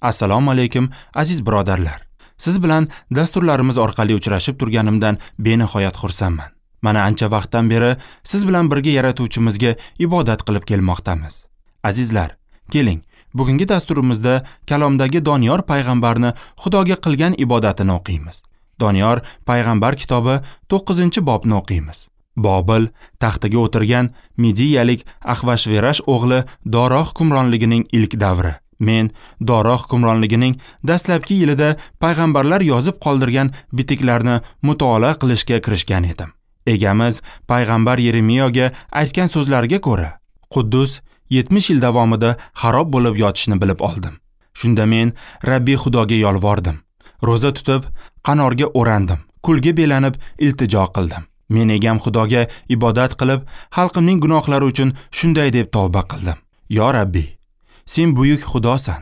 Assalomu alaykum aziz birodarlar. Siz bilan dasturlarimiz orqali uchrashib turganimdan benihoyat xursandman. Mana ancha vaqtdan beri siz bilan birga yaratuvchimizga ibodat qilib kelmoqdamiz. Azizlar, keling, bugungi dasturimizda kalomdagi Doniyor payg'ambarni Xudoga qilgan ibodatini o'qiymiz. Doniyor payg'ambar kitobi 9-bobni o'qiymiz. Bobil taxtiga o'tirgan Midiyalik Axvashverash o'g'li Doro hukmronligining ilk davri. Men Doro hukmronligining dastlabki yilida payg'ambarlar yozib qoldirgan bitiklarni mutolaa qilishga kirishgan edim. Egamiz payg'ambar Yeremiyoga aytgan so'zlariga ko'ra, Quddus 70 yil davomida xarob bo'lib yotishini bilib oldim. Shunda men Rabbiy Xudoga yolvordim. Ro'za tutib, qanorga o'randim, kulga belanib iltijo qildim. Men egam Xudoga ibodat qilib, xalqimning gunohlari uchun shunday deb tavba qildim. Yo Rabbiy, sen buyuk Xudosan.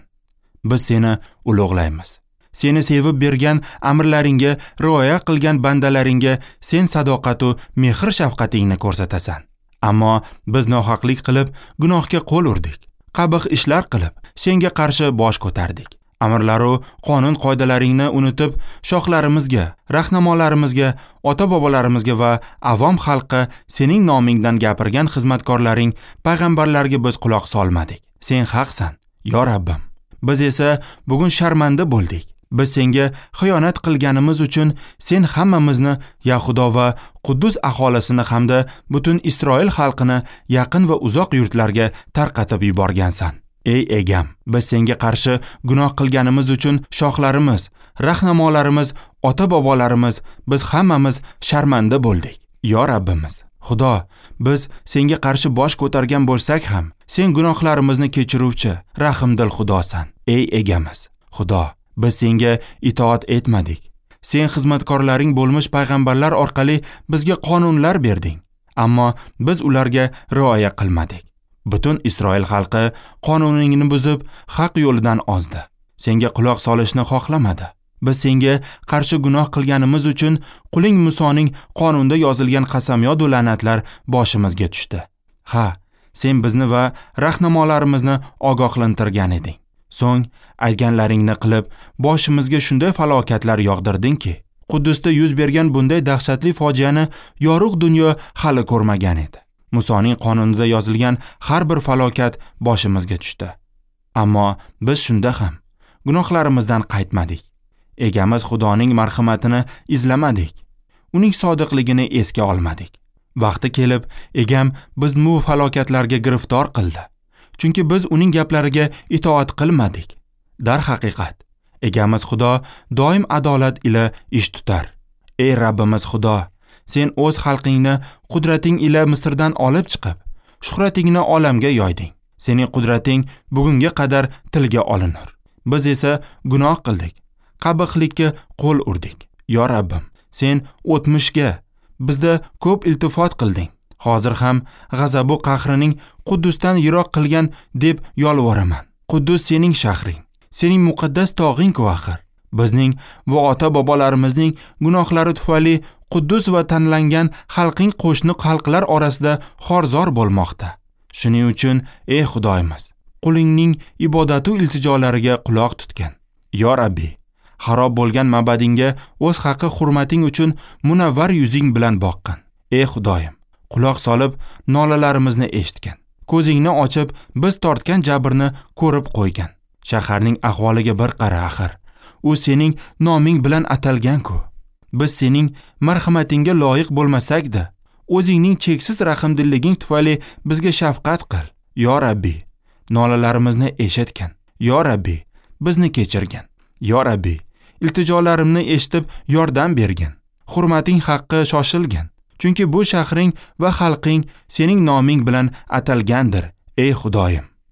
Biz seni ulug'laymiz. Seni sevib bergan amrlaringga rioya qilgan bandalaringga sen sadoqat va mehr shafqatingni ko'rsatasan. Ammo biz nohaqlik qilib, gunohga qo'l urdik. Qabih ishlar qilib, senga qarshi bosh ko'tardik. Amrlaru qonun qoidalaringni unutib, shohlarimizga, rahnamolarimizga, ota-bobolarimizga va avom xalqqa sening nomingdan gapirgan xizmatkorlaring payg'ambarlarga biz quloq solmadik. Sen haqsan, yo Rabbim. Biz esa bugun sharmanda bo'ldik. Biz senga xiyonat qilganimiz uchun sen hammamizni Yahudo va Quddus aholisini hamda butun Isroil xalqini yaqin va uzoq yurtlarga tarqatib yuborgansan. Ey egam, biz senga qarshi gunoh qilganimiz uchun shohlarimiz, rahnamolarimiz, ota-bobolarimiz, biz hammamiz sharmanda bo'ldik. Yo Rabbimiz, Xudo, biz senga qarshi bosh ko'targan bo'lsak ham, sen gunohlarimizni kechiruvchi, rahimdil Xudosan. Ey egamiz, Xudo, biz senga itoat etmadik. Sen xizmatkorlaring bo'lmish payg'ambarlar orqali bizga qonunlar berding, ammo biz ularga rioya qilmadik. Butun Isroil xalqi qonuningni buzib, haq yo'lidan ozdi. Senga quloq solishni xohlamadi. Biz senga qarshi gunoh qilganimiz uchun quling Musoning qonunda yozilgan qasamyod va la'natlar boshimizga tushdi. Ha, sen bizni va rahnamolarimizni ogohlantirgan eding. So'ng aytganlaringni qilib, boshimizga shunday falokatlar yog'dirdingki, Quddusda yuz bergan bunday dahshatli fojiani yorug' dunyo hali ko'rmagan edi. Musoning qonunida yozilgan har bir falokat boshimizga tushdi. Ammo biz shunda ham gunohlarimizdan qaytmadik. Egamiz Xudoning marhamatini izlamadik. Uning sodiqligini esga olmadik. Vaqti kelib, egam bizni bu falokatlarga giriftor qildi. Chunki biz uning gaplariga itoat qilmadik. Darhaqiqat, egamiz Xudo doim adolat ila ish tutar. Ey Rabbimiz Xudo, sen o'z xalqingni qudrating ila Misrdan olib chiqib, shuhratingni olamga yoyding. Sening qudrating bugunga qadar tilga olinur. Biz esa gunoh qildik, qabihlikka qo'l urdik. Yo Rabbim, sen o'tmishga bizda ko'p iltifot qilding. Hozir ham g'azabu qahrining Quddusdan yiroq qilgan deb yolvoraman. Quddus sening shahring, sening muqaddas tog'ing-ku axir. Bizning va ota-bobolarimizning gunohlari tufayli Quddus va tanlangan xalqing qo'shni xalqlar orasida xorzor bo'lmoqda. Shuning uchun ey Xudoyimiz, qulingning ibodatu iltijolariga quloq tutgin. Yo Rabbi, xarob bo'lgan ma'badingga o'z haqqi hurmating uchun munavvar yuzing bilan boqqin. Ey Xudoyim, quloq solib nolalarimizni eshitgin. Ko'zingni ochib biz tortgan jabrni ko'rib qo'ygan. Shaharning ahvoliga bir qara axir. U sening noming bilan atalgan-ku. Biz sening marhamatingga loyiq bo'lmasak-da, o'zingning cheksiz rahmdilliging tufayli bizga shafqat qil. Yo Rabbi, nolalarimizni eshitgin. Yo Rabbi, bizni kechirgin. Yo Rabbi, iltijolarimni eshitib yordam bergin. Hurmating haqqi shoshilgin. Chunki bu shahring va xalqing sening noming bilan atalgandir, ey Xudoyim.